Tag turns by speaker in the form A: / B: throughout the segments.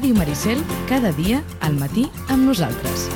A: Ràdio Maricel, cada dia al matí amb nosaltres.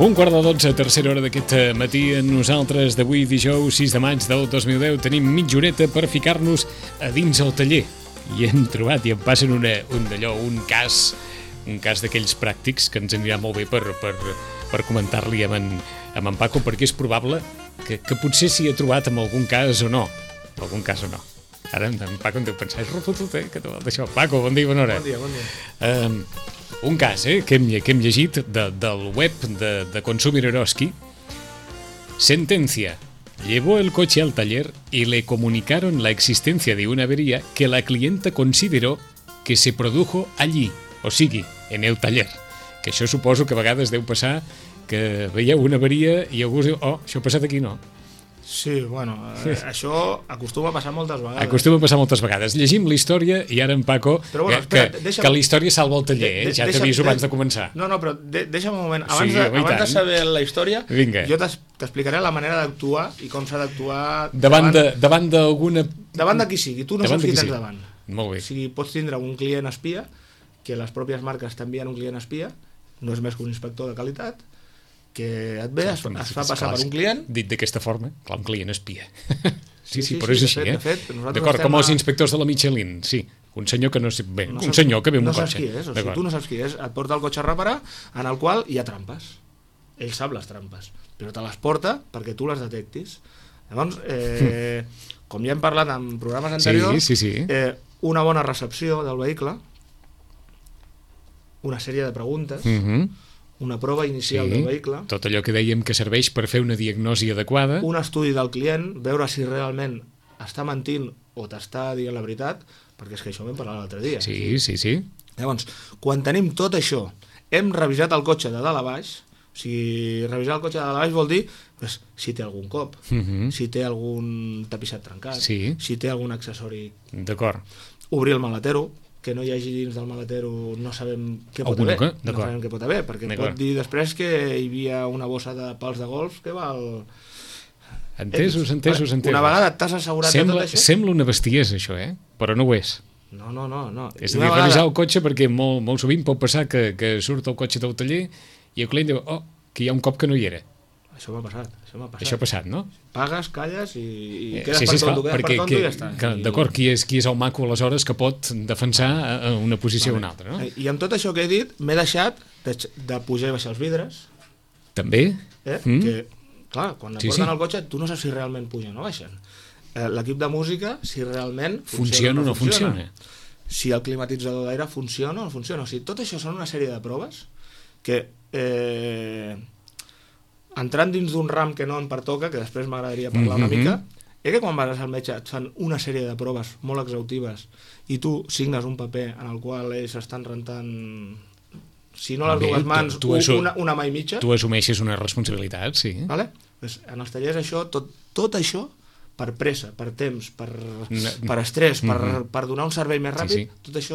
B: Un quart de 12, tercera hora d'aquest matí. Nosaltres d'avui, dijous 6 de maig del 2010, tenim mitja horeta per ficar-nos a dins el taller. I hem trobat, i em passen un cas d'aquells pràctics que ens anirà molt bé per comentar-li amb en Paco, perquè és probable que potser s'hi ha trobat en algun cas o no. Ara en Paco em deu pensar, és refotut, que te vol deixar. Paco, bon dia, bona hora.
C: Bon dia.
B: Un cas que hem llegit del web de Consumir Eroski. Sentencia. Llevó el coche al taller y le comunicaron la existencia de una avería que la clienta consideró que se produjo allí, o sigui, en el taller. Que això suposo que a vegades deu passar que veieu una averia i algú diu, això ha passat aquí, no?
C: Sí, bueno, això acostuma a passar moltes vegades.
B: Llegim la història i ara en Paco,
C: però bueno, espera,
B: que la història salva el taller, ja t'aviso abans de començar.
C: No, però deixa'm un moment. Abans de saber la història, jo t'explicaré la manera d'actuar i com s'ha d'actuar
B: davant d'alguna...
C: Davant de qui sigui, tu no saps qui tens davant.
B: Molt bé.
C: O sigui, pots tindre un client espia, que les pròpies marques t'envien un client espia, no és més que un inspector de qualitat, que et ve, es fa passar per un client...
B: Dit d'aquesta forma, clar, un client espia. Sí, però és així, D'acord, com els inspectors de la Michelin, sí. Un senyor que no sé bé, un senyor que ve amb un cotxe.
C: No saps qui és, o sigui, tu no saps qui és, et porta el cotxe a reparar, en el qual hi ha trampes. Ell sap les trampes, però te les porta perquè tu les detectis. Llavors, com ja hem parlat en programes anteriors, una bona recepció del vehicle, una sèrie de preguntes... una prova inicial del vehicle...
B: Tot allò que dèiem que serveix per fer una diagnosi adequada...
C: Un estudi del client, veure si realment està mentint o t'està dient la veritat, perquè és que això ho vam parlar l'altre dia.
B: Sí.
C: Llavors, quan tenim tot això, hem revisat el cotxe de dalt a baix, o sigui, revisar el cotxe de dalt a baix vol dir si té algun cop, si té algun tapissat trencat, si té algun accessori...
B: D'acord.
C: Obrir el maletero, que no hi hagi dins del maletero, no sabem què pot haver. No sabem què pot haver, perquè pot dir després que hi havia una bossa de pals de golf que val...
B: Entesos.
C: Una vegada t'has assegurat de tot això...
B: Sembla una bestiesa, això, però no ho és.
C: No.
B: És a dir, revisar el cotxe, perquè molt sovint pot passar que surt el cotxe del taller i el client diu, que hi ha un cop que no hi era.
C: Això m'ha passat.
B: Això ha passat, no?
C: Pagues, calles i quedes per tonto, i ja està.
B: D'acord, qui és el maco aleshores que pot defensar una posició o una altra, no?
C: I amb tot això que he dit, m'he deixat de pujar i baixar els vidres.
B: També?
C: Que, clar, quan et porten el cotxe, tu no saps si realment pugen o baixen. L'equip de música, si realment
B: funciona o no funciona.
C: Si el climatitzador d'aire funciona o no funciona. O sigui, tot això són una sèrie de proves que... entrant dins d'un ram que no em pertoca, que després m'agradaria parlar una mica, que quan vas al metge et fan una sèrie de proves molt exhaustives i tu signes un paper en el qual ells estan rentant, si no les dues mans, una mà i mitja.
B: Tu assumeixes una responsabilitat, sí.
C: Vale? Pues en els tallers això, tot això, per pressa, per temps, per estrès, per donar un servei més ràpid, tot això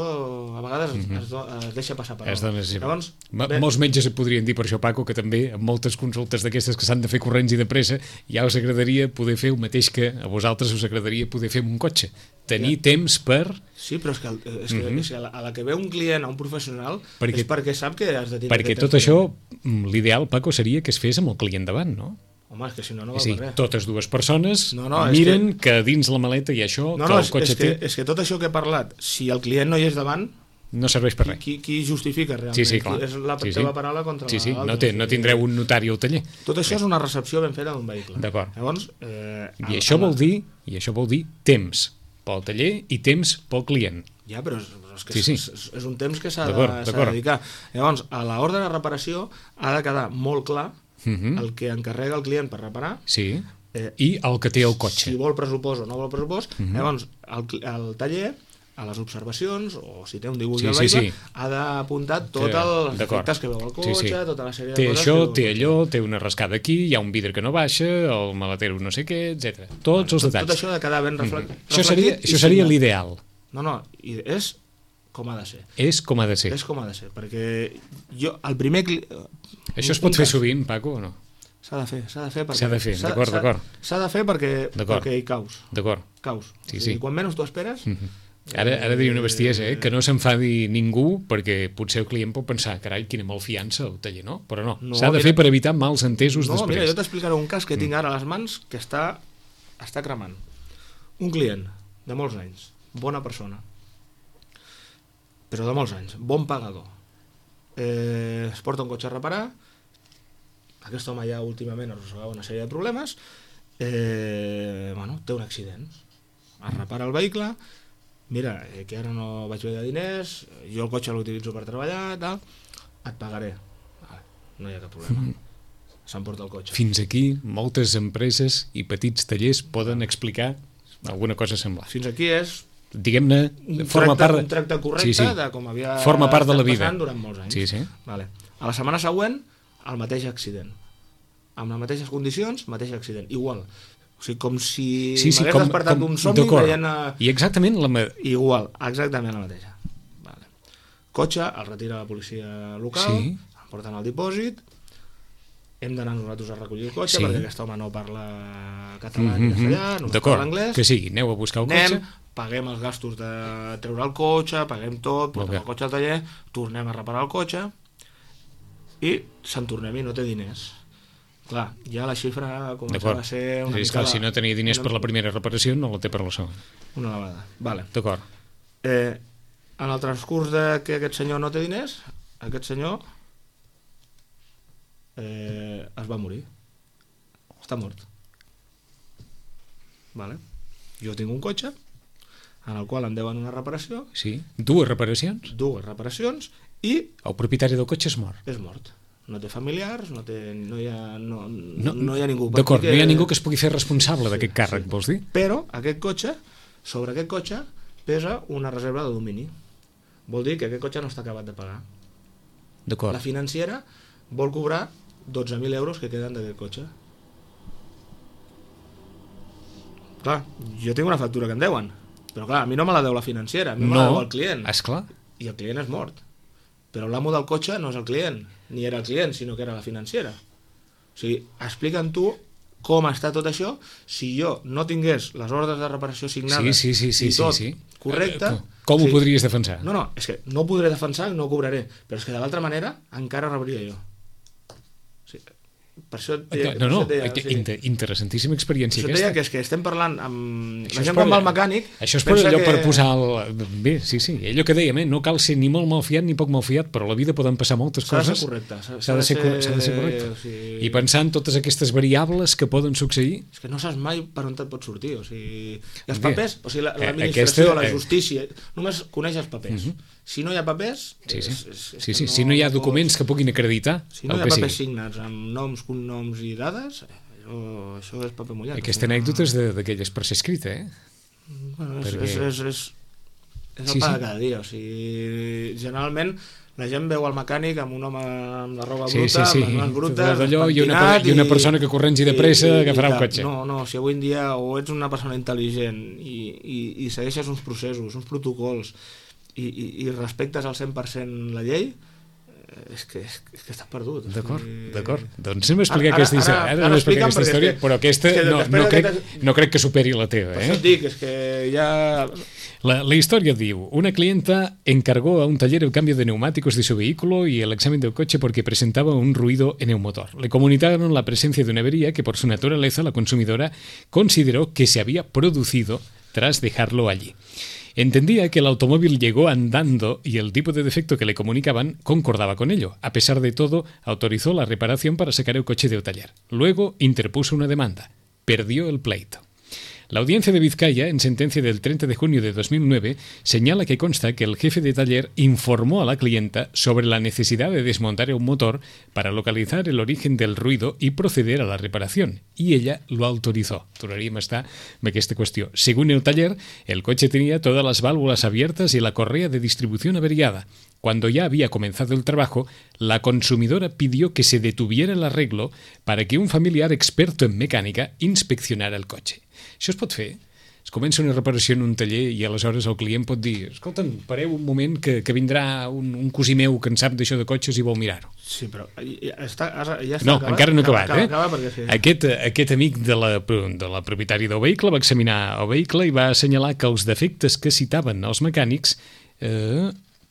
C: a vegades es deixa passar per alt.
B: Llavors, molts metges et podrien dir per això, Paco, que també en moltes consultes d'aquestes que s'han de fer corrents i de pressa ja us agradaria poder fer el mateix que a vosaltres us agradaria poder fer amb un cotxe. Tenir temps per...
C: Sí, però és que a la que ve un client, a un professional, és perquè sap que has de tenir...
B: Perquè tot això, l'ideal, Paco, seria que es fes amb el client davant, no?
C: Home, és que si no val per res.
B: Totes dues persones miren que dins la maleta hi ha això, que el cotxe té...
C: És que tot això que he parlat, si el client no hi és davant...
B: No serveix per res.
C: Qui justifica realment?
B: Sí, clar.
C: És la teva paraula contra l'altra.
B: No tindreu un notari al taller.
C: Tot això és una recepció ben feta d'un vehicle.
B: D'acord.
C: Llavors...
B: I això vol dir temps. pel taller i temps pel client.
C: Ja, però és que
B: Sí.
C: és un temps que s'ha de
B: D'acord.
C: dedicar. Llavors, a l'ordre de reparació ha de quedar molt clar el que encarrega el client per reparar,
B: Sí. I el que té el cotxe.
C: si vol pressupost o no vol pressupost. Llavors, el taller, a les observacions, o si té un dibuix del vehicle, ha d'apuntar tots els defectes que veu el cotxe, tota la sèrie de
B: té
C: coses.
B: Té això, té allò, té una rascada aquí, hi ha un vidre que no baixa, el maletero no sé què, etc. Tots els detalls.
C: Tot això ha de quedar ben reflectit.
B: Això seria l'ideal.
C: No, és com ha de ser.
B: És com ha de ser.
C: És com ha de ser, perquè jo, el primer...
B: Això es pot fer sovint, Paco, o no?
C: S'ha de fer perquè...
B: S'ha de fer, d'acord.
C: S'ha de fer perquè hi caus.
B: D'acord.
C: Caus.
B: Sí.
C: I quan menys t'ho esperes...
B: Ara diria una bestiesa, que no s'enfadi ningú, perquè potser el client pot pensar, carai, quina malfiança el taller, no? Però no, s'ha de fer per evitar mals entesos després.
C: No, mira, jo t'explicaré un cas que tinc ara a les mans que està cremant. Un client de molts anys, bona persona, però de molts anys, bon pagador. Es porta un cotxe a reparar, aquest home ja últimament arrossegava una sèrie de problemes, té un accident, es repara el vehicle, mira, que ara no vaig veure diners, jo el cotxe l'utilitzo per treballar, tal, et pagaré. Vale, no hi ha cap problema. S'emporta el cotxe.
B: Fins aquí moltes empreses i petits tallers poden explicar alguna cosa semblant.
C: Fins aquí és,
B: diguem-ne,
C: un tracte correcte de com havia
B: forma part de la vida
C: passant durant molts anys.
B: Sí.
C: Vale. A la setmana següent, el mateix accident. Amb les mateixes condicions, mateix accident. Igual. O sigui, com si m'hagués despertat d'un somni veient...
B: I exactament
C: Igual, exactament la mateixa. Vale. Cotxe, el retira la policia local, el porten al dipòsit, hem d'anar nosaltres a recollir el cotxe perquè aquest home no parla català ni castellà, només parla anglès.
B: Que sí, aneu a buscar el cotxe.
C: Paguem els gastos de treure el cotxe, paguem tot, portem el cotxe al taller, tornem a reparar el cotxe i se'n tornem i no té diners. Clar, ja la xifra començava a ser una mica...
B: Si no tenia diners per la primera reparació, no la té per la segona.
C: Una elevada. Vale.
B: D'acord.
C: En el transcurs de que aquest senyor no té diners, aquest senyor es va morir. Està mort. Vale. Jo tinc un cotxe en el qual em deuen una reparació.
B: Sí. Dues reparacions
C: i...
B: El propietari del cotxe és mort.
C: És mort. No té familiars, no hi ha ningú.
B: D'acord, no hi ha ningú que es pugui fer responsable d'aquest càrrec, vols dir?
C: Però sobre aquest cotxe pesa una reserva de domini. Vol dir que aquest cotxe no està acabat de pagar.
B: D'acord.
C: La financera vol cobrar 12.000 euros que queden d'aquest cotxe. Clar, jo tinc una factura que em deuen, però clar, a mi no me la deu la financera, a mi me la deu el client.
B: Esclar.
C: I el client és mort. Però l'amo del cotxe no és el client, ni era el client, sinó que era la financera. O sigui, explica'm tu com està tot això si jo no tingués les ordres de reparació signades i tot correcte.
B: Com ho podries defensar?
C: No, és que no ho podré defensar, no ho cobraré, però és que de l'altra manera encara rebria jo. O sigui, per això
B: interessantíssima experiència aquesta.
C: Això deia que estem parlant amb la gent quan va al mecànic.
B: Això és per allò per posar bé, sí, allò que dèiem, no cal ser ni molt malfiat ni poc malfiat, però a la vida poden passar moltes coses.
C: S'ha de ser
B: correcte. I pensar en totes aquestes variables que poden succeir.
C: És que no saps mai per on et pot sortir. O sigui, els papers, o sigui, l'administració, la justícia, només coneix els papers. Si no hi ha papers...
B: Si no hi ha documents que puguin acreditar...
C: Si no hi ha papers signats amb noms, cognoms i dades, això és paper mullat.
B: Aquesta anècdota és d'aquelles per ser escrita,
C: Bueno, és el pa de cada dia. O sigui, generalment la gent veu el mecànic amb un home amb la roba bruta, amb les mans brutes,
B: i una persona que corrents i de pressa agafarà un cotxe.
C: No, si avui en dia o ets una persona intel·ligent i segueixes uns processos, uns protocols i respectes al 100% la llei, és que estàs perdut.
B: D'acord. Doncs anem a explicar aquesta història, però aquesta no crec que superi la teva.
C: Per això et dic, és que ja...
B: La historia diu, una clienta encargó a un taller el cambio de neumáticos de su vehículo y el examen del coche porque presentaba un ruido en el motor. Le comunicaron la presencia de una avería que por su naturaleza la consumidora consideró que se había producido tras dejarlo allí. Entendía que el automóvil llegó andando y el tipo de defecto que le comunicaban concordaba con ello. A pesar de todo, autorizó la reparación para sacar el coche del taller. Luego interpuso una demanda. Perdió el pleito. La audiencia de Vizcaya, en sentencia del 30 de junio de 2009, señala que consta que el jefe de taller informó a la clienta sobre la necesidad de desmontar un motor para localizar el origen del ruido y proceder a la reparación, y ella lo autorizó. Tornaríem a estar amb aquesta qüestió. Según el taller, el coche tenía todas las válvulas abiertas y la correa de distribución averiada. Cuando ya había comenzado el trabajo, la consumidora pidió que se detuviera el arreglo para que un familiar experto en mecànica inspeccionara el cotxe. Això es pot fer? Es comença una reparació en un taller i aleshores el client pot dir escolta'm, pareu un moment que vindrà un cosí meu que en sap d'això de cotxes i vol mirar-ho.
C: Sí, però ja està
B: No,
C: acabat?
B: encara no ha acabat,
C: Acaba perquè sí.
B: Aquest amic de la propietària del vehicle va examinar el vehicle i va assenyalar que els defectes que citaven els mecànics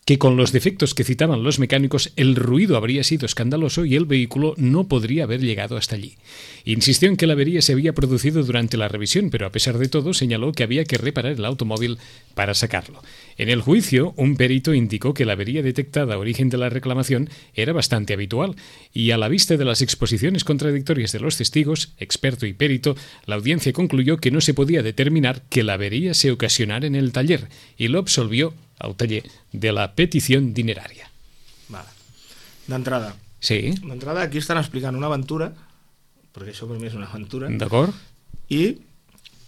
B: que con los defectos que citaban los mecánicos el ruido habría sido escandaloso y el vehículo no podría haber llegado hasta allí. Insistió en que la avería se había producido durante la revisión, pero a pesar de todo señaló que había que reparar el automóvil para sacarlo. En el juicio, un perito indicó que la avería detectada a origen de la reclamación era bastante habitual y a la vista de las exposiciones contradictorias de los testigos, experto y perito, la audiencia concluyó que no se podía determinar que la avería se ocasionara en el taller y lo absolvió al taller de la petició dinerària.
C: Vale. D'entrada.
B: Sí.
C: D'entrada aquí estan explicant una aventura, perquè això per mi és una aventura.
B: D'acord.
C: I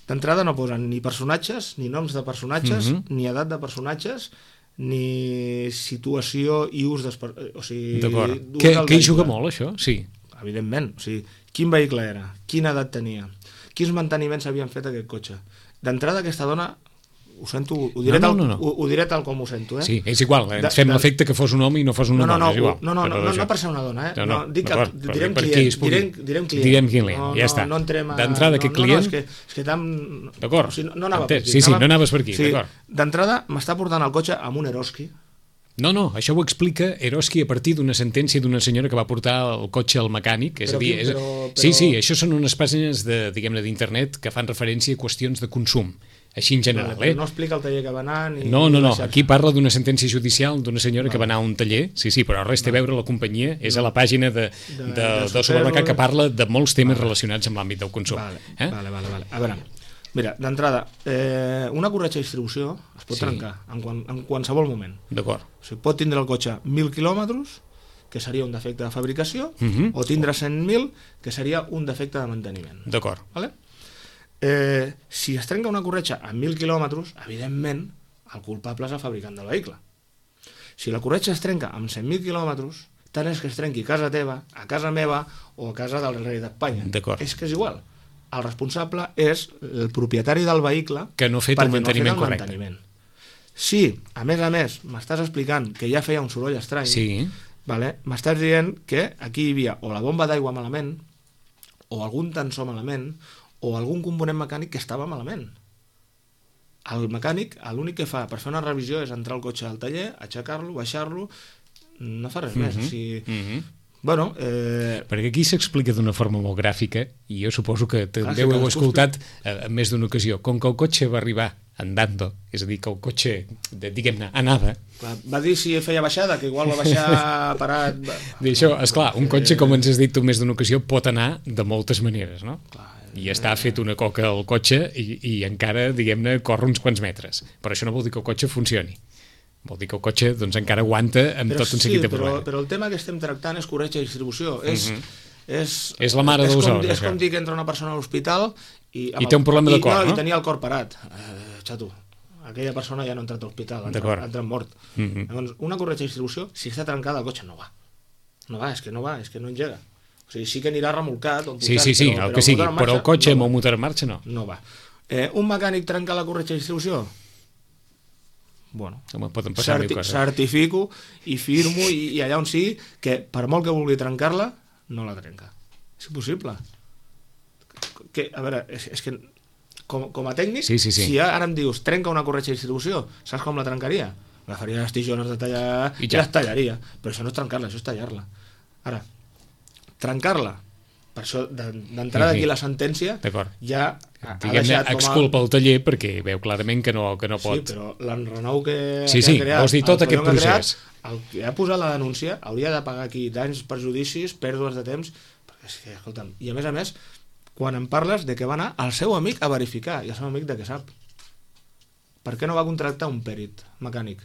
C: d'entrada no posen ni personatges, ni noms de personatges, ni edat de personatges, ni situació i ús o sigui,
B: d'acord. Que hi juga molt, això? Sí.
C: Evidentment. O sigui, quin vehicle era? Quina edat tenia? Quins manteniments havien fet aquest cotxe? D'entrada aquesta dona ho sento, ho diré tal com ho sento, eh?
B: Sí, és igual, ens fem l'efecte que fos un home i no fos una dona, és igual.
C: No per ser una dona, eh? Dic que direm client.
B: Direm client, ja està. D'entrada, aquest client...
C: És que tan...
B: D'acord,
C: no anava per aquí.
B: Sí, no anaves per aquí, d'acord.
C: D'entrada, m'està portant el cotxe amb un Eroski.
B: No, això ho explica Eroski a partir d'una sentència d'una senyora que va portar el cotxe al mecànic. És a dir, sí, això són unes pàgines d'internet que fan referència a qüestions de consum. Així en general,
C: No explica el taller que va anar...
B: No, aquí parla d'una sentència judicial d'una senyora que va anar a un taller, sí, però res té a veure la companyia, és a la pàgina de Supermercat que parla de molts temes relacionats amb l'àmbit del consum.
C: Vale. A veure, mira, d'entrada, una corretja de distribució es pot trencar en qualsevol moment.
B: D'acord.
C: O sigui, pot tindre el cotxe 1.000 quilòmetres, que seria un defecte de fabricació, o tindre 100.000, que seria un defecte de manteniment.
B: D'acord.
C: Vale? Si es trenca una corretja a 1.000 quilòmetres, evidentment, el culpable és el fabricant del vehicle. Si la corretja es trenca amb 100.000 quilòmetres, tant és que es trenqui a casa teva, a casa meva o a casa del rei d'Espanya. És que és igual. El responsable és el propietari del vehicle
B: que no ha fet el manteniment correcte.
C: Si, a més, m'estàs explicant que ja feia un soroll estrany, m'estàs dient que aquí hi havia o la bomba d'aigua malament, o algun tensor malament, o algun component mecànic que estava malament. El mecànic, l'únic que fa per fer una revisió és entrar al cotxe al taller, aixecar-lo, baixar-lo, no fa res més. O sigui, bueno...
B: Perquè aquí s'explica d'una forma molt gràfica, i jo suposo que també ho heu escoltat en més d'una ocasió. Com que el cotxe va arribar andando, és a dir, que el cotxe, diguem-ne, anava...
C: Va dir si feia baixada, que igual va baixar parat...
B: Això, esclar, un cotxe, com ens has dit tu més d'una ocasió, pot anar de moltes maneres, no? Clar. I està fet una coca al cotxe i encara, diguem-ne, corre uns quants metres. Però això no vol dir que el cotxe funcioni. Vol dir que el cotxe doncs, encara aguanta amb tot un seguit de problemes.
C: Però el tema que estem tractant és corretja de distribució.
B: És la mare dels ous.
C: És com dir que entra una persona a l'hospital i
B: té un problema de cor, no?
C: I tenia el cor parat. Xato, aquella persona ja no ha entrat a l'hospital, ha entrat mort. Llavors, una corretja de distribució, si està trencada, el cotxe no va. No va, és que no engega. O sigui, sí que anirà remolcat o
B: sí, el que sigui, però el cotxe amb el motor en marxa no.
C: No va. Un mecànic trenca la corretja de distribució? Bueno, certifico i firmo i allà on sigui que per molt que vulgui trencar-la, no la trenca. És impossible. A veure, és que com a tècnic, si ara em dius trenca una corretja de distribució, saps com la trencaria? Agafaria les tijoles de tallar i les tallaria. Però això no és trencar-la, això és tallar-la. Ara, trencar-la, per això d'entrada aquí la sentència ja ha deixat com a...
B: exculpa el taller perquè veu clarament que no pot...
C: Sí, però l'enrenou que ha
B: creat, vols dir tot aquest procés.
C: El que ha posat la denúncia hauria de pagar aquí danys, perjudicis, pèrdues de temps, perquè és que, escolta'm, i a més, quan em parles de que va anar al seu amic a verificar, i el seu amic de què sap? Per què no va contractar un pèrit mecànic?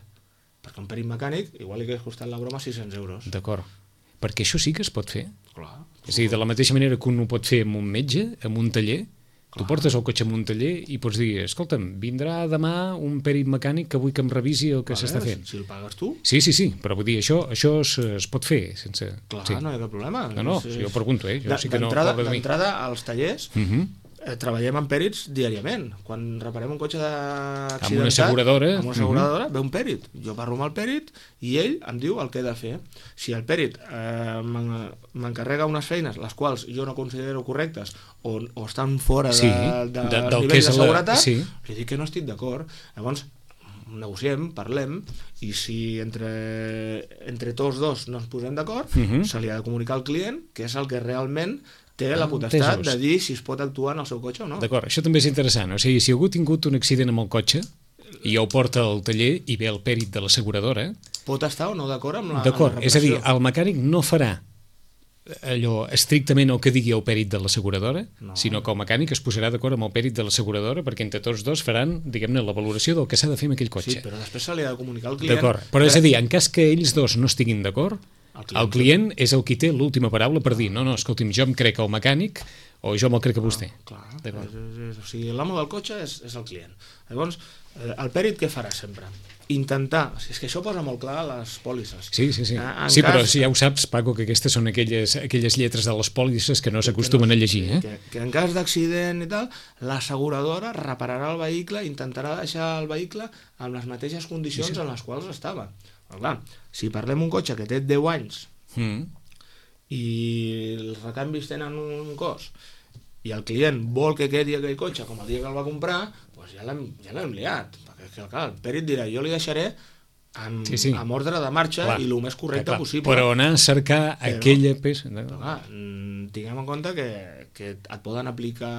C: Perquè un pèrit mecànic igual li hagués costat la broma 600 euros.
B: D'acord. Perquè això sí que es pot fer.
C: Clar.
B: És a dir, de la mateixa manera que un ho pot fer amb un metge, amb un taller, tu portes el cotxe amb un taller i pots dir, escolta'm, vindrà demà un pèrit mecànic que vull que em revisi el que s'està fent.
C: Si el pagues tu.
B: Sí, però vull dir, això es pot fer sense...
C: Clar,
B: sí.
C: no hi ha cap problema.
B: No, jo pregunto, jo sí que no...
C: D'entrada, als tallers, treballem amb pèrits diàriament. Quan reparem un cotxe accidentat...
B: Amb una asseguradora.
C: Ve un pèrit. Jo parlo amb el pèrit i ell em diu el que he de fer. Si el pèrit m'encarrega unes feines, les quals jo no considero correctes o estan fora del nivell de seguretat, li dic que no estic d'acord. Llavors, negociem, parlem, i si entre tots dos no ens posem d'acord, se li ha de comunicar al client que és el que realment té la potestat de dir si es pot actuar en el seu cotxe o no.
B: D'acord, això també és interessant. O sigui, si algú ha tingut un accident amb el cotxe i ja ho porta al taller i ve el pèrit de l'asseguradora...
C: Pot estar o no d'acord amb la
B: D'acord,
C: reparació.
B: és a dir, el mecànic no farà allò estrictament el que digui el pèrit de l'asseguradora, sinó que el mecànic es posarà d'acord amb el pèrit de l'asseguradora perquè entre tots dos faran, diguem-ne, la valoració del que s'ha de fer amb aquell cotxe.
C: Sí, però després se li ha de comunicar al client...
B: D'acord, però és a dir, en cas que ells dos no estiguin d'acord, el client és el qui té l'última paraula per dir no, escolti'm, jo em crec el mecànic o jo me'l crec a vostè.
C: Clar, o sigui, l'amo del cotxe és el client. Llavors, el pèrit què farà sempre? Intentar, és que això posa molt clar a les pòlisses.
B: Sí, però si ja ho saps, Paco, que aquestes són aquelles lletres de les pòlisses que no s'acostumen a llegir.
C: Que en cas d'accident i tal, l'asseguradora repararà el vehicle, intentarà deixar el vehicle amb les mateixes condicions en les quals estava. Però clar, si parlem un cotxe que té 10 anys i els recanvis tenen un cost i el client vol que quedi aquell cotxe com el dia que el va comprar, doncs ja l'hem liat. Perquè clar, el pèrit dirà, jo li deixaré amb ordre de marxa i el més correcte possible.
B: Però anar a cercar aquella peça...
C: Clar, tinguem en compte que et poden aplicar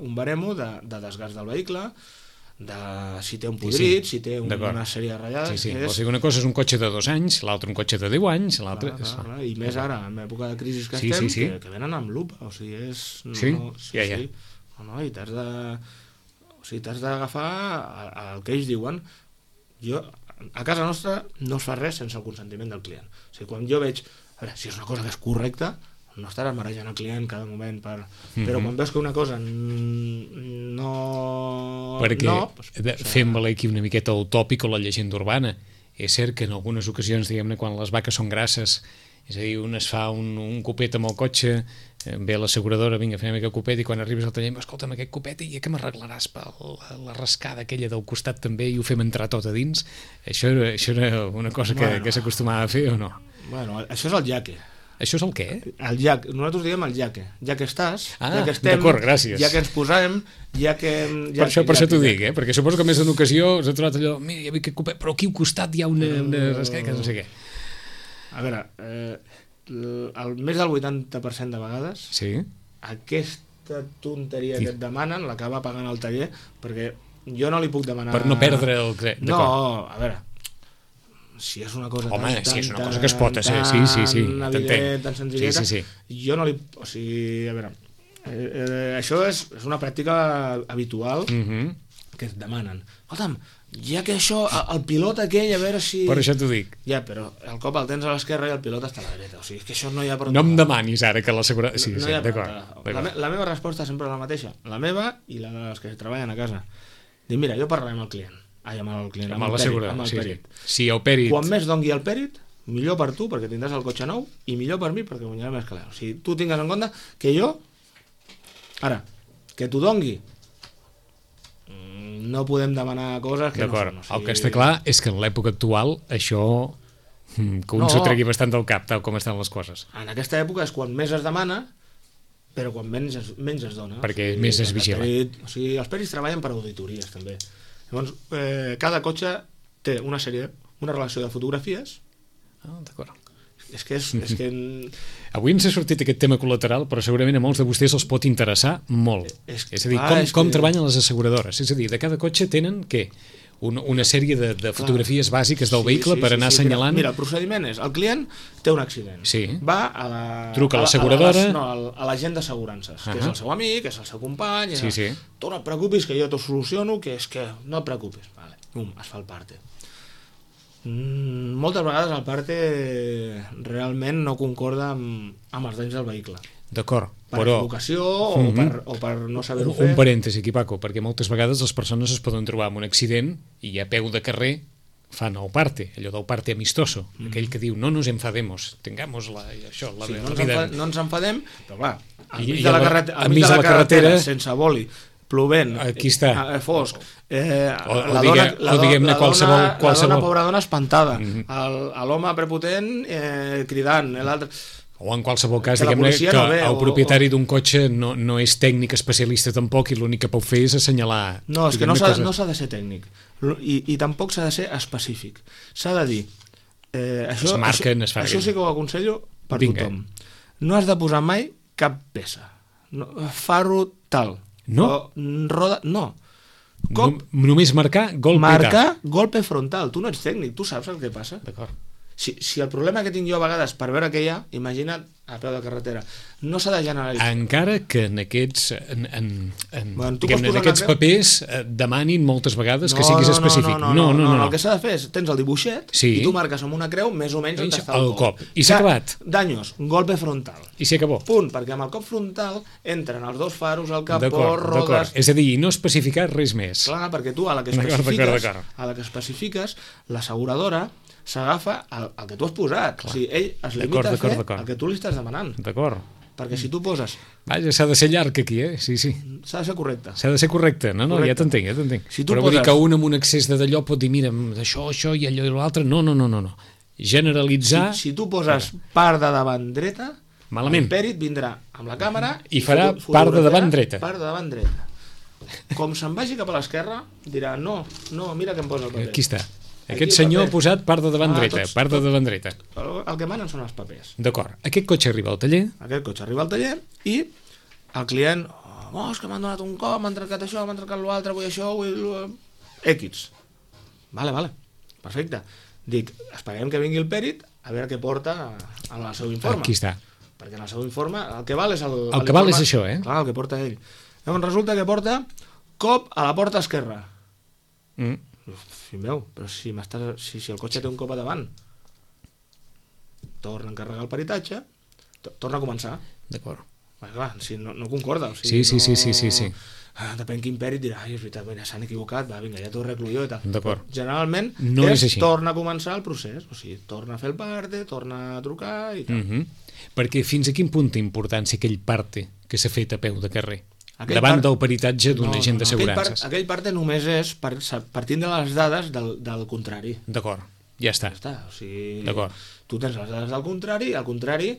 C: un baremo de desgast del vehicle, de si té un podrit, si té una sèrie de ratllades...
B: O sigui, una cosa és un cotxe de 2 anys, l'altre un cotxe de 10 anys, l'altre...
C: I més ara, en l'època de crisi que estem, que venen amb lupa, o sigui, és... I t'has d'agafar el que ells diuen. A casa nostra no es fa res sense el consentiment del client. O sigui, quan jo veig, a veure, si és una cosa que és correcta, no estaràs marejant el client cada moment però quan veus que una cosa no...
B: Perquè fem valer aquí una miqueta el tòpic o la llegenda urbana. És cert que en algunes ocasions, diguem-ne, quan les vaques són grasses, és a dir, un es fa un copet amb el cotxe, ve l'asseguradora, vinga, fem aquest copet, i quan arribes al taller, escolta'm, aquest copet, i que m'arreglaràs per la rascada aquella del costat també i ho fem entrar tot a dins? Això era una cosa que s'acostumava a fer o no?
C: Bueno, això és el jaque.
B: Això és el què?
C: El jack, nosaltres diem el jaque. Ja que estàs, ja que estem,
B: d'acord, gràcies.
C: Ja que ens posem, ja que...
B: Per això t'ho dic, perquè suposo que més d'una ocasió us ha trobat allò, mira, hi havia aquest copet, però aquí al costat hi ha una rascada que no sé què.
C: A veure, més del 80% de vegades aquesta tonteria que et demanen l'acaba pagant el taller, perquè jo no li puc demanar...
B: Per no perdre el...
C: No, a veure, si és una cosa
B: si és una cosa que es pot fer, sí,
C: evident, tan senzilleta,
B: sí.
C: Jo no li... O sigui, a veure, això és una pràctica habitual que et demanen. Escolta'm, ja que això, el pilot aquell, a veure si...
B: Per això t'ho dic.
C: Ja, però el cop el tens a l'esquerra i el pilot està a la dreta. O sigui, és que això no hi ha per on...
B: No em demanis ara que l'asseguradora... Sí,
C: d'acord. La meva resposta sempre és la mateixa. La meva i la dels que treballen a casa. Dic, mira, jo parlaré amb el client. Amb el pèrit.
B: Si el pèrit...
C: Quan més dongui el pèrit, millor per tu, perquè tindràs el cotxe nou, i millor per mi, perquè guanyaré més calés. O sigui, tu tingues en compte que jo... Ara, que t'ho dongui, no podem demanar coses que no són.
B: El que està clar és que en l'època actual això que un s'ho tregui bastant del cap, tal com estan les coses.
C: En aquesta època és quan més es demana, però quan menys es dona.
B: Perquè més es vigila.
C: O sigui, els pèrits treballen per auditories, també. Llavors, cada cotxe té una relació de fotografies.
B: D'acord.
C: És que...
B: Avui ens ha sortit aquest tema col·lateral, però segurament a molts de vostès els pot interessar molt. És a dir, com treballen les asseguradores. És a dir, de cada cotxe tenen, què? una sèrie de fotografies bàsiques del vehicle per anar assenyalant...
C: Mira, el procediment és, el client té un accident, va a la...
B: Truca a l'asseguradora...
C: a l'agent d'assegurances, que és el seu amic, és el seu company... Tu no et preocupis, que jo t'ho soluciono, que és que no et preocupis. Vale. Es fa el parte. Moltes vegades el parte realment no concorda amb els danys del vehicle.
B: D'acord,
C: per
B: però...
C: equivocació o per no saber-ho fer.
B: Un parèntesi aquí, Paco, perquè moltes vegades les persones es poden trobar amb un accident i a peu de carrer fan el parte, allò del parte amistoso, aquell que diu no nos enfademos, tengamos la vida...
C: No ens enfadem, però clar,
B: al mig de la carretera
C: sense boli, plovent,
B: aquí està.
C: Fosc,
B: o diguem-ne qualsevol...
C: La dona, pobra dona, espantada, l'home prepotent cridant, l'altre...
B: O en qualsevol cas, diguem-ne que el propietari d'un cotxe no és tècnic especialista tampoc i l'únic que pot fer és assenyalar...
C: No, és que no s'ha de ser tècnic i tampoc s'ha de ser específic. S'ha de dir... Això sí que ho aconsello per tothom. No has de posar mai cap peça. Faro tal.
B: No?
C: Roda... No.
B: Només marcar golpe tal.
C: Marcar golpe frontal. Tu no ets tècnic, tu saps el que passa.
B: D'acord.
C: Si el problema que tinc jo a vegades per veure què hi ha, imagina't a peu de carretera, no s'ha de generalitzar.
B: Encara que en aquests papers demanin moltes vegades que siguis específic.
C: No, el que s'ha de fer és, tens el dibuixet i tu marques amb una creu més o menys on està el cop.
B: I s'ha acabat.
C: Daños, golpe frontal.
B: I s'hi acabó.
C: Punt, perquè amb el cop frontal entren els dos faros, el capó, rodes...
B: És a dir, no especificar res més.
C: Clar, perquè tu a la que especifiques, l'asseguradora s'agafa el que tu has posat. O sigui, ell es limita a fer el que tu li estàs demanant.
B: D'acord.
C: Perquè si tu poses...
B: Vaja, s'ha de ser llarg aquí, Sí.
C: S'ha de ser correcte.
B: S'ha de ser correcte. No, ja t'entenc.
C: Si
B: però vull dir que un amb un excés de d'allò pot dir, mira, això i allò i l'altre. No. Generalitzar...
C: Si tu poses part de davant dreta,
B: malament.
C: El pèrit vindrà amb la càmera
B: i farà part de davant dreta.
C: Part de davant dreta. Com se'n vagi cap a l'esquerra, dirà, no, mira que em posa el paper.
B: Aquí està. Aquest senyor ha posat part de davant dreta, part de davant dreta.
C: El que manen són els papers.
B: D'acord. Aquest cotxe arriba al taller.
C: I el client, és que m'han donat un cop, m'han trencat això, m'han trencat l'altre, vull això, vull... X. Vale. Perfecte. Dic, esperem que vingui el pèrit a veure què porta en el seu informe.
B: Aquí està.
C: Perquè en el seu informe el que val és
B: el que val és això,
C: Clar, el que porta ell. Llavors resulta que porta cop a la porta esquerra. Fill meu, però si el cotxe té un cop a davant, torna a encarregar el peritatge, torna a començar.
B: D'acord.
C: Clar, si no concorda. O
B: sigui, sí.
C: Depèn quin pèrit dirà, és veritat, s'han equivocat, vinga, ja t'ho arreglo jo i tal.
B: D'acord.
C: Generalment
B: no és així.
C: Torna a començar el procés, o sigui, torna a fer el parte, torna a trucar i tal.
B: Perquè fins a quin punt té importància aquell parte que s'ha fet a peu de carrer? Davant del peritatge d'un agent d'assegurances.
C: Aquell parte només és partint de les dades del contrari.
B: D'acord, ja està.
C: O sigui,
B: d'acord.
C: Tu tens les dades del contrari, el contrari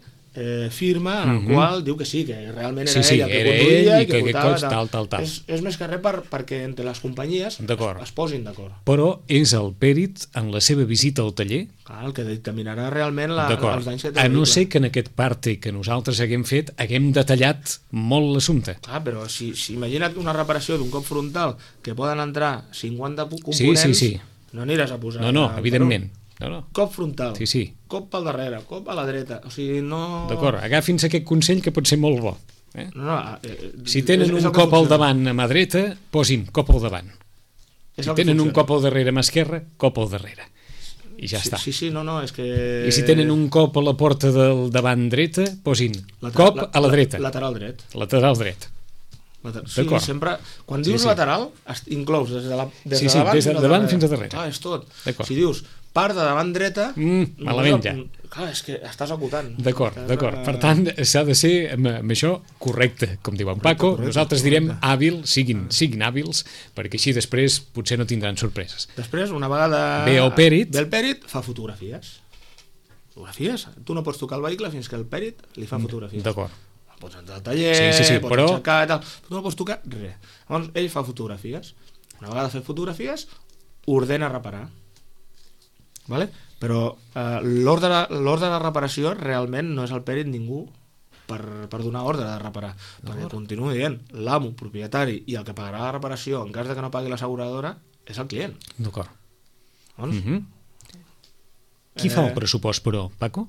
C: firma en el qual diu que sí, que realment era ell el que conduïa i que portava
B: tal.
C: És més que res perquè entre les companyies es posin d'acord.
B: Però és el pèrit en la seva visita al taller
C: el que dictaminarà realment els danys que té.
B: A no ser que en aquest parte que nosaltres haguem fet haguem detallat molt l'assumpte.
C: Però si imagina't una reparació d'un cop frontal que poden entrar 50 components, no aniràs a posar...
B: No, evidentment.
C: Cop frontal,
B: sí.
C: Cop pel darrere, cop a la dreta, o sigui, no...
B: D'acord, agafi'ns aquest consell que pot ser molt bo. Si tenen un cop al davant a mà dreta, posin cop al davant. Si tenen un cop al darrere a mà esquerra, cop al darrere. I ja està.
C: Sí, és que...
B: I si tenen un cop a la porta del davant dreta, posin cop a la dreta.
C: Lateral dret.
B: Sí,
C: sempre... Quan dius lateral, inclous des de
B: davant fins a darrere.
C: Clar, és tot. Si dius part de davant dreta...
B: malament ja.
C: Clar, és que estàs acotant.
B: D'acord. Per tant, s'ha de ser amb això correcte, com diu en Paco. Nosaltres direm hàbil, siguin hàbils, perquè així després potser no tindran sorpreses.
C: Després, una vegada
B: ve el
C: pèrit, fa fotografies. Tu no pots tocar el vehicle fins que el pèrit li fa fotografies.
B: D'acord.
C: Pots entrar al taller, pots aixecar i tal, però tu no pots tocar res. Llavors ell fa fotografies. Una vegada fet fotografies, ordena reparar. Vale? Però l'ordre de reparació realment no és el pèrit ningú per donar ordre de reparar, perquè continuo dient, l'amo, propietari i el que pagarà la reparació en cas de que no pagui l'asseguradora és el client.
B: D'acord.
C: Doncs,
B: Qui fa el pressupost, però, Paco?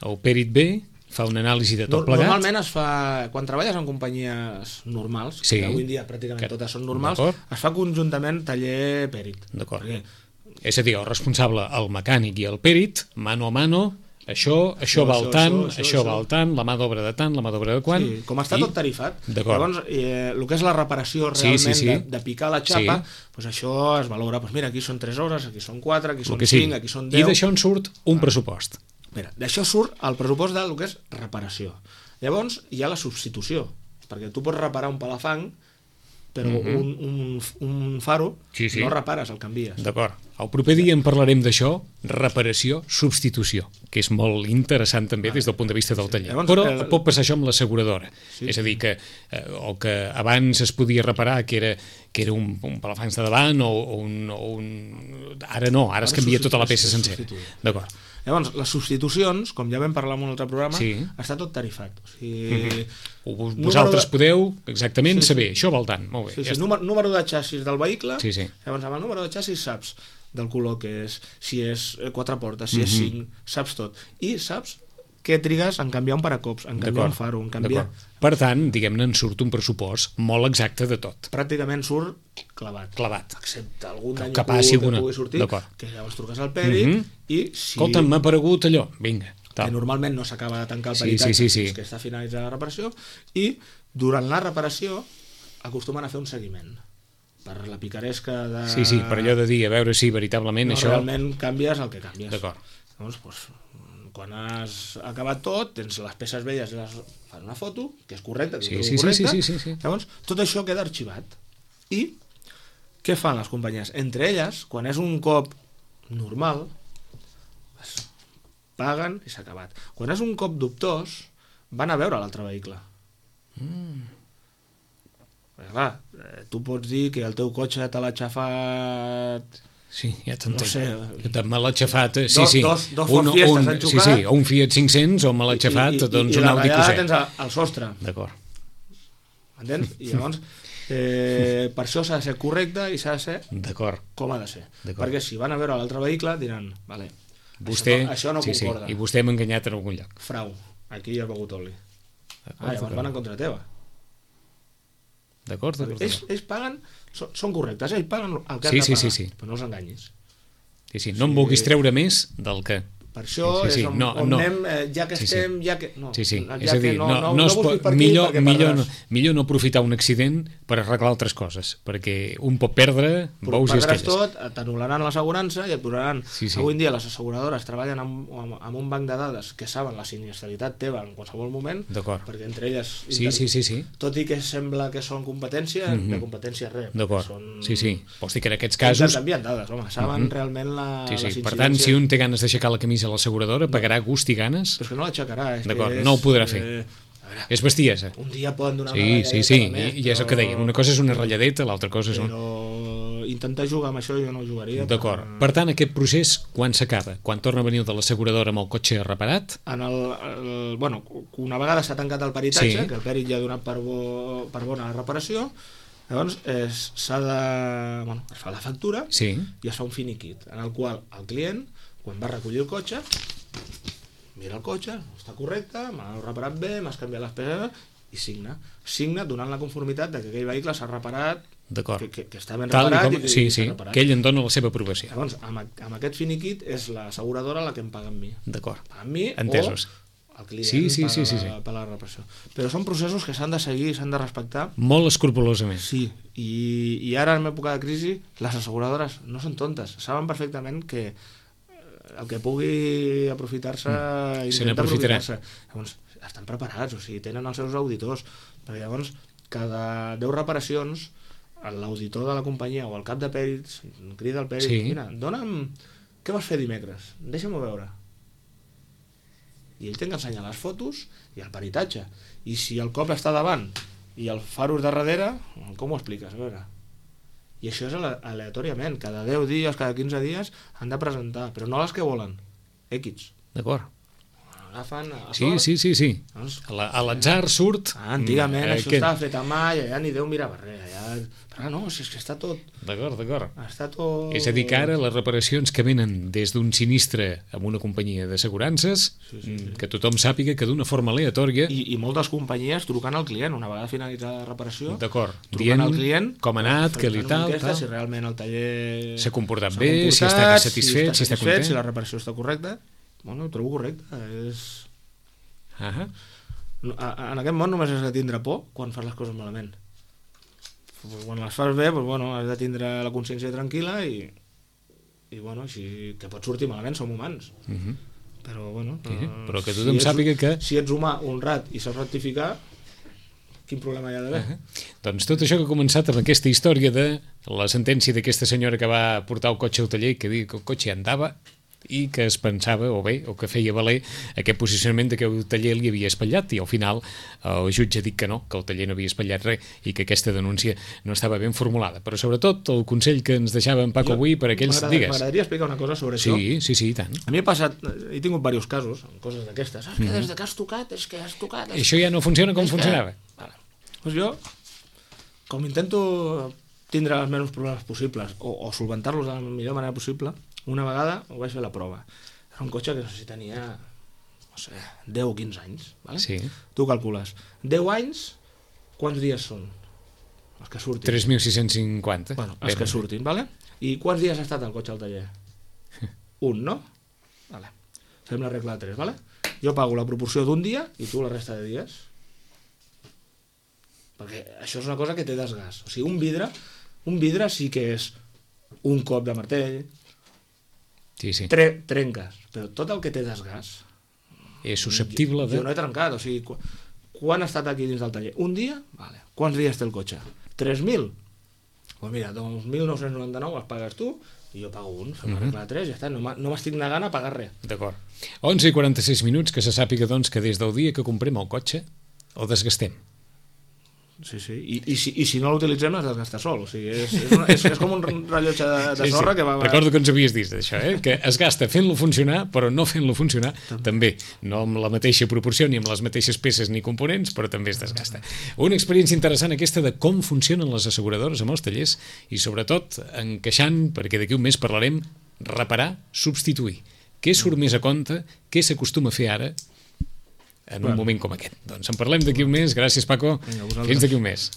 B: El pèrit ve, fa una anàlisi de tot plegat?
C: Normalment es fa, quan treballes en companyies normals,
B: Sí.
C: que avui en dia pràcticament totes són normals,
B: D'acord.
C: es fa conjuntament taller pèrit.
B: D'acord.
C: Perquè
B: És a dir, el responsable, el mecànic i el pèrit, mano a mano, això val tant, això val tant, la mà d'obra de tant, la mà d'obra de quant...
C: Sí, com està tot tarifat,
B: D'acord.
C: llavors el que és la reparació
B: Sí,
C: realment
B: sí, sí.
C: de picar la xapa,
B: Sí.
C: doncs això es valora, doncs mira, aquí són 3 hores, aquí són 4, aquí
B: El
C: són
B: que
C: 5,
B: sigui.
C: aquí són
B: I
C: 10...
B: d'això en surt un pressupost.
C: Mira, d'això surt el pressupost del que és reparació. Llavors hi ha la substitució, perquè tu pots reparar un palafang, però un faro
B: Sí, sí.
C: no repares, el canvies.
B: D'acord. El proper dia en parlarem d'això, reparació, substitució, que és molt interessant també des del punt de vista del taller.
C: Llavors,
B: Però pot passar això amb l'asseguradora.
C: Sí.
B: És a dir, que el que abans es podia reparar, que era un palafangs de davant o un... Ara no, ara es canvia tota la peça sencera. D'acord.
C: Llavors, les substitucions, com ja vam parlar en un altre programa,
B: Sí.
C: està tot tarifat. O sigui,
B: Vosaltres podeu exactament saber, això val tant. Molt bé.
C: Sí,
B: ja
C: sí,
B: està.
C: número de xassis del vehicle,
B: Sí, sí.
C: llavors amb el número de xassis saps del color que és, si és 4 portes, si és 5, saps tot. I saps què trigues en canviar un paracops, en canviar un faro, en canviar...
B: D'acord. Per tant, diguem-ne, en surt un pressupost molt exacte de tot.
C: Pràcticament surt clavat.
B: Clavat.
C: Excepte algun dany
B: Que passi
C: que
B: alguna-
C: pugui sortir,
B: D'acord.
C: que llavors truques al pèrit i si...
B: Escolta, m'ha aparegut allò. Vinga.
C: que
B: Tal.
C: normalment no s'acaba de tancar el
B: Sí,
C: peritatge
B: sí, sí, sí.
C: fins que està finalitzada la reparació, i durant la reparació acostumen a fer un seguiment per la picaresca de...
B: Sí, sí, per allò de dir, a veure si veritablement
C: no,
B: això...
C: realment canvies el que canvies.
B: D'acord.
C: Llavors, quan has acabat tot, tens les peces velles, fan una foto, que és correcta,
B: Sí, sí, sí.
C: Llavors, tot això queda arxivat. I què fan les companyies? Entre elles, quan és un cop normal, paguen i s'ha acabat. Quan és un cop dubtós, van a veure l'altre vehicle. Perquè, clar, tu pots dir que el teu cotxe te l'ha xafat...
B: Sí, ja t'entenc.
C: No sé.
B: Que me l'ha xafat, sí,
C: Dos-
B: sí.
C: dos Ford Fiestas han
B: sí,
C: xocat.
B: sí, o un Fiat 500 o me l'ha xafat, doncs un Audi
C: I la
B: Q7.
C: ratllada tens el sostre,
B: D'acord.
C: entens? I llavors, per això s'ha de ser correcte i s'ha de ser
B: D'acord.
C: com ha de ser.
B: D'acord.
C: Perquè si van a veure l'altre vehicle diran, vale,
B: Vostè,
C: això no
B: sí,
C: concorda.
B: sí, i vostè m'ha enganyat en algun lloc.
C: Frau, aquí hi ha begut oli. Llavors van en contra teva.
B: D'acord, d'acord.
C: Ells paguen, són correctes, ells paguen el que
B: Sí,
C: han de
B: sí,
C: pagar,
B: sí, sí.
C: però no els enganyis.
B: Sí, sí, no em vulguis treure més del que...
C: Per això
B: Sí, sí,
C: és on anem, ja que
B: Sí, sí.
C: estem, ja que... No,
B: Sí, sí,
C: ja
B: és a dir,
C: que
B: no es
C: busquis
B: pot,
C: per aquí perquè perdràs.
B: millor no aprofitar un accident per arreglar altres coses, perquè un pot perdre bous i
C: perdràs
B: esquelles.
C: tot, t'anul·laran l'assegurança i et duraran...
B: Sí, sí.
C: Avui en dia les asseguradores treballen amb un banc de dades que saben la sinistralitat teva en qualsevol moment,
B: D'acord.
C: perquè entre elles...
B: Sí.
C: Tot i que sembla que són competència, de competència res.
B: D'acord,
C: Són...
B: sí. Vols dir que en aquests casos...
C: Intercanvien dades, home, saben realment
B: Sí,
C: les
B: sí. Per tant, si un té ganes d'aixecar la camisa a l'asseguradora, pagarà gust i ganes.
C: Però és que no l'aixecarà.
B: D'acord, no ho podrà fer.
C: A veure,
B: És bestiesa.
C: un dia poden donar una
B: Sí,
C: ratlladeta
B: sí,
C: més,
B: i és el que dèiem. Una cosa és una ratlladeta, l'altra cosa és un...
C: però intentar jugar amb això jo no jugaria.
B: D'acord. Per tant, aquest procés, quan s'acaba? Quan torna a venir el de l'asseguradora amb el cotxe reparat?
C: Bueno, una vegada s'ha tancat el peritatge,
B: Sí.
C: que el pèrit ja ha donat per bona la reparació, llavors s'ha de... Bueno, es fa la factura
B: Sí.
C: i es fa un finiquit, en el qual el client, quan va recollir el cotxe, mira el cotxe, està correcte, m'ha reparat bé, m'has canviat les peces, i signa donant la conformitat de que aquell vehicle s'ha reparat,
B: D'acord.
C: que està ben
B: Tal i
C: reparat
B: com...
C: i
B: Sí,
C: s'ha
B: sí,
C: reparat.
B: que ell en dona la seva aprovació.
C: Llavors, amb aquest finiquit és l'asseguradora la que em paga amb mi.
B: D'acord.
C: Paga amb mi
B: Entesos.
C: o el client
B: Sí.
C: per la reparació. Però són processos que s'han de seguir, s'han de respectar.
B: Molt escrupolosament.
C: Sí, i ara en època de crisi les asseguradores no són tontes, saben perfectament que el que pugui aprofitar-se
B: Se
C: intenta
B: n'aprofitarà.
C: aprofitar-se. Llavors estan preparats, o sigui, tenen els seus auditors, perquè llavors cada 10 reparacions l'auditor de la companyia o el cap de pèrits crida al pèrit,
B: Sí.
C: mira, dona'm què vas fer dimecres, deixa'm-ho veure, i ell té que ensenyar les fotos i el peritatge, i si el cop està davant i el faro és de darrere, com ho expliques? A veure. I això és aleatòriament, cada 10 dies, cada 15 dies han de presentar, però no les que volen, X.
B: D'acord.
C: agafen a
B: Sí. A l'atzar surt...
C: Antigament això estava fet a mà i allà ni Déu mirava res. Però no, és que està tot...
B: D'acord.
C: Està tot...
B: És a dir, que ara les reparacions que venen des d'un sinistre amb una companyia d'assegurances, que tothom sàpiga que d'una forma aleatòria...
C: I moltes companyies trucant al client, una vegada finalitzada la reparació,
B: d'acord,
C: trucant al client,
B: com ha anat, què li tal...
C: Si realment el taller
B: s'ha comportat bé, si està satisfet, si està content...
C: Si la reparació està correcta, bueno, ho trobo correcte. En aquest món només has de tindre por quan fas les coses malament. Quan les fas bé, has de tindre la consciència tranquil·la i bueno, que pot sortir malament, som humans. Però
B: però que tothom sàpiga que...
C: Si ets humà, honrat i saps rectificar, quin problema hi ha d'haver?
B: Doncs tot això que ha començat amb aquesta història de la sentència d'aquesta senyora que va portar el cotxe al taller i que diu que el cotxe andava i que es pensava, o que feia valer aquest posicionament de que el taller li havia espatllat, i al final el jutge ha dit que no, que el taller no havia espatllat res i que aquesta denúncia no estava ben formulada. Però sobretot el consell que ens deixava en Paco avui per aquells...
C: M'agradaria explicar una cosa sobre això.
B: Sí, i tant.
C: A mi he passat, he tingut diversos casos, coses d'aquestes. Que des que has tocat, és que has tocat...
B: Això ja no funciona com funcionava.
C: Doncs jo, com intento tindre els menys problemes possibles o solventar-los de la millor manera possible, una vegada ho vaig fer la prova. Era un cotxe que no sé si tenia 10 o 15 anys, vale?
B: Sí.
C: Tu calcules 10 anys, quants dies són? Els que surtin
B: 3.650.
C: Els que surtin, vale? I quants dies ha estat el cotxe al taller? Un, no? Vale. Fem la regla de 3, vale? Jo pago la proporció d'un dia i tu la resta de dies, perquè això és una cosa que té desgast. O sigui, un vidre sí que és un cop de martell, trenques, però tot el que té desgast
B: és susceptible de...
C: Jo no he trencat, o sigui, quan ha estat aquí dins del taller? Un dia? Vale. Quants dies té el cotxe? 3.000? Doncs mira, 2.999 els pagues tu i jo pago un, fem la regla de 3 i ja està, no m'estic negant a pagar res.
B: D'acord. 11:46, que se sàpiga doncs que des del dia que comprem el cotxe el desgastem.
C: Sí. I si no l'utilitzem es desgasta sol. O sigui, és com un rellotge de sorra que va...
B: Recordo que ens havies dit això, que es gasta fent-lo funcionar, però no fent-lo funcionar també. No amb la mateixa proporció, ni amb les mateixes peces ni components, però també es desgasta. Una experiència interessant aquesta de com funcionen les asseguradores amb els tallers i sobretot encaixant, perquè d'aquí un mes parlarem, reparar, substituir. Què surt més a compte? Què s'acostuma a fer ara en un moment com aquest? Doncs en parlem d'aquí un mes. Gràcies, Paco. Fins d'aquí un mes.